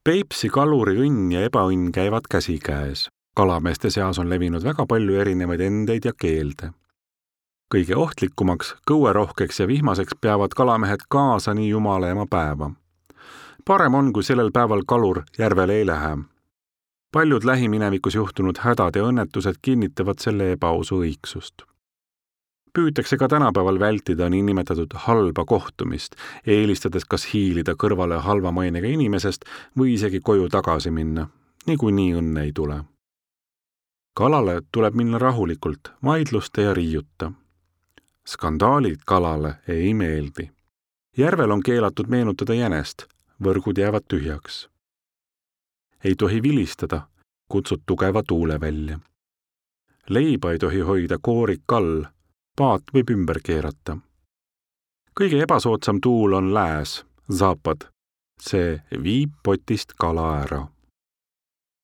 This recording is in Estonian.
Peipsi kaluri õnn ja ebaõnn käivad käsikäes. Kalameeste seas on levinud väga palju erinevaid endeid ja keelde. Kõige ohtlikumaks, kõuerohkeks ja vihmaseks peavad kalamehed kaasa nii jumalaema päeva. Parem on, kui sellel päeval kalur järvele ei lähe. Paljud lähiminevikus juhtunud hädad ja õnnetused kinnitavad selle ebaausu õigsust. Püütakse ka tänapäeval vältida niinimetatud halba kohtumist, eelistades kas hiilida kõrvale halva mainega inimesest või isegi koju tagasi minna, niikuinii õnne ei tule. Kalale tuleb minna rahulikult, vaidluste ja riiuta. Skandaalid kalale ei meeldi. Järvel on keelatud meenutada jänest, võrgud jäävad tühjaks. Ei tohi vilistada, kutsud tugeva tuule välja. Leiba ei tohi hoida koorik all, paat võib ümber keerata. Kõige ebasoodsam tuul on lääs, zapad. See viib potist kala ära.